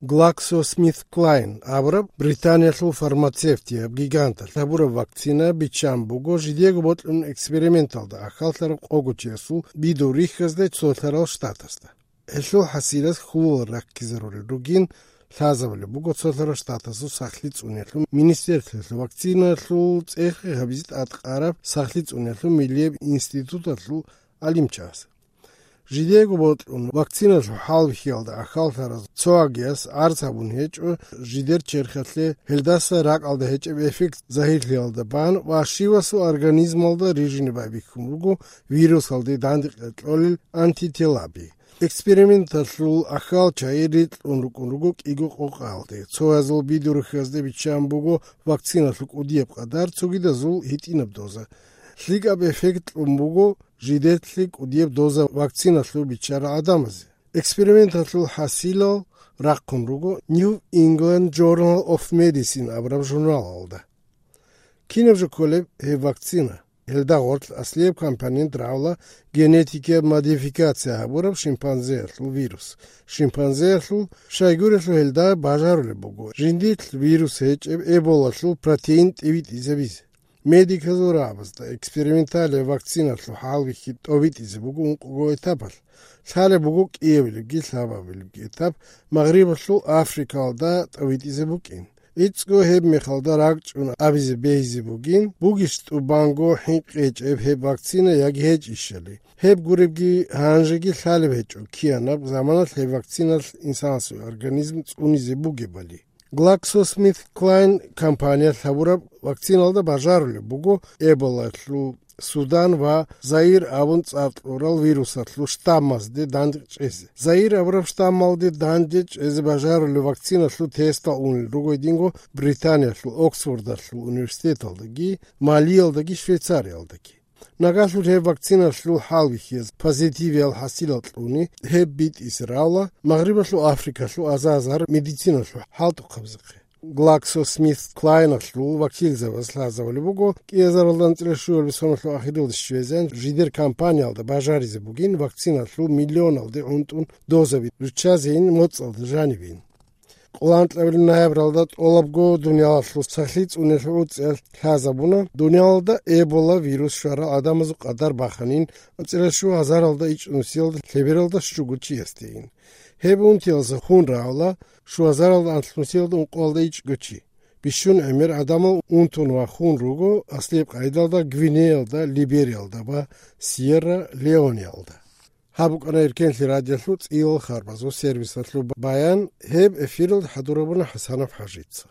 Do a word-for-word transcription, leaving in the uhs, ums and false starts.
GlaxoSmithKline абураб Британиялъул фармацевтияб гиганталъ гьабураб вакцина биччан буго жидего бокьун эксперименталда ахьаллъараб къого чиясул бидул рихьазде цолъарал штатасда. Гьелъул хӀасилас хьулал раккизарулел ругин лъазабулеб буго цолъарал штатасул сахлъи цӀуниялъул министерствоялъул вакциналъул цӀехи гьабизе тӀадкъараб сахлъи цӀуниялъул миллияб институталъул гӀалимчияс. Жидего бокьун вакциналъул хӀалбихьиялда ахьаллъараз цо агияс гӀарз гьабун гьечӀо жидер черхалъе гьелдаса ракӀалда гьечӀеб эффект загьирлъиялда бан ва щивасул организмалда рижине байбихьун буго вирусалде дандекъе кьолел антителаби. Эксперименталъул ахьал чагӀи рикьун рукӀун руго кӀиго къокъаялде. Цоязул бидул рихьазде биччан буго вакциналъул кӀудияб къадар, цогидазул гьитӀинаб доза. ЛъикӀаб эффект кьун буго жидетлъи кӀудияб доза вакциналъул биччарал гӀадамазе. Эксперименталъул хӀасилал рахъун руго New England Journal of Medicine абураб журналалда. Кинаб жо кколеб гьеб вакцина? Гьелда гъорлъ аслияб компонент рагӀула генетикияб модификация гьабураб шимпанзеялъул вирус. Шимпанзеялъул щайгурелъул гьелда бажарулеб буго жиндилъ вирус гьечӀеб эболалъул протеин тӀибитӀизабизе. Медиказул рагӀабазда эксперименталияб вакциналъул хӀалбихьи тӀобитӀизе буго ункъого этапалъ. Лъалеб буго кӀиабилебги лъабабилебги этап, Магърибалъул Африкалда тӀобитӀизе букӀин. ГӀицӀго гьеб мехалда ракӀчӀун абизе бегьизе бугин, бугищ тӀубанго хӀинкъи гьечӀеб гьеб вакцина яги гьечӀищали. Гьеб гуребги гьанжеги лъалеб гьечӀо киянаб заманалъ гьеб вакциналъ инсанасул организм цӀунизе бугебали. GlaxoSmithKline компаниялъ гьабураб вакциналда бажарулеб буго Эболалъул, Судан ва Заир абун цӀар кьурал вирусалъул штаммазде дандчӀезе. Заир абураб штаммалде дандчӀезе бажарулеб вакциналъул тестал унел руго гьединго Британиялъул Оксфордалъул университеталдаги, Малиялдаги, Швейцариялдаги. Нагагьлъун гьеб вакциналъул хӀалбихьиялъ позитивиял хӀасилал кьуни, гьеб битӀизе рагӀула Магърибалъул Африкалъул азар-азар медициналъул хӀалтӀухъабазухъе. GlaxoSmithKlineалъул вакилзабаз лъазабулеб буго, кӀиазаралда анцӀила щуялъул соналъул ахиралде щвезегӀан жидер компаниялда бажаризе бугин вакциналъул миллионалде гӀунтӀун дозаби руччазейин моцӀалда жанибейин. Къоло анкьабилеб ноябралда тӀолабго дуниялалъул сахлъи цӀуниялъул уцӀиялъ лъазабуна, дуниялалда Эбола вирус щварал гӀадамазул къадар баханин анцӀила щугьазаралда ичӀнусиялда лъебералда щуго чиясдейин. Гьеб унтиялдаса хун рагӀула щугьазаралда анлънусиялда ункъоялда ичӀго чи. Бищун гӀемер гӀадамал унтун ва хун руго аслияб къагӀидалда Гвинеялда, Либериялда ва Сьерра-Леонеялда. Гьаб букӀана Эркенлъи радиолъул цӀийил харбазул сервисалъул баян. Гьеб эфиралда хӀадурабуна ХӀасанов ХӀажица.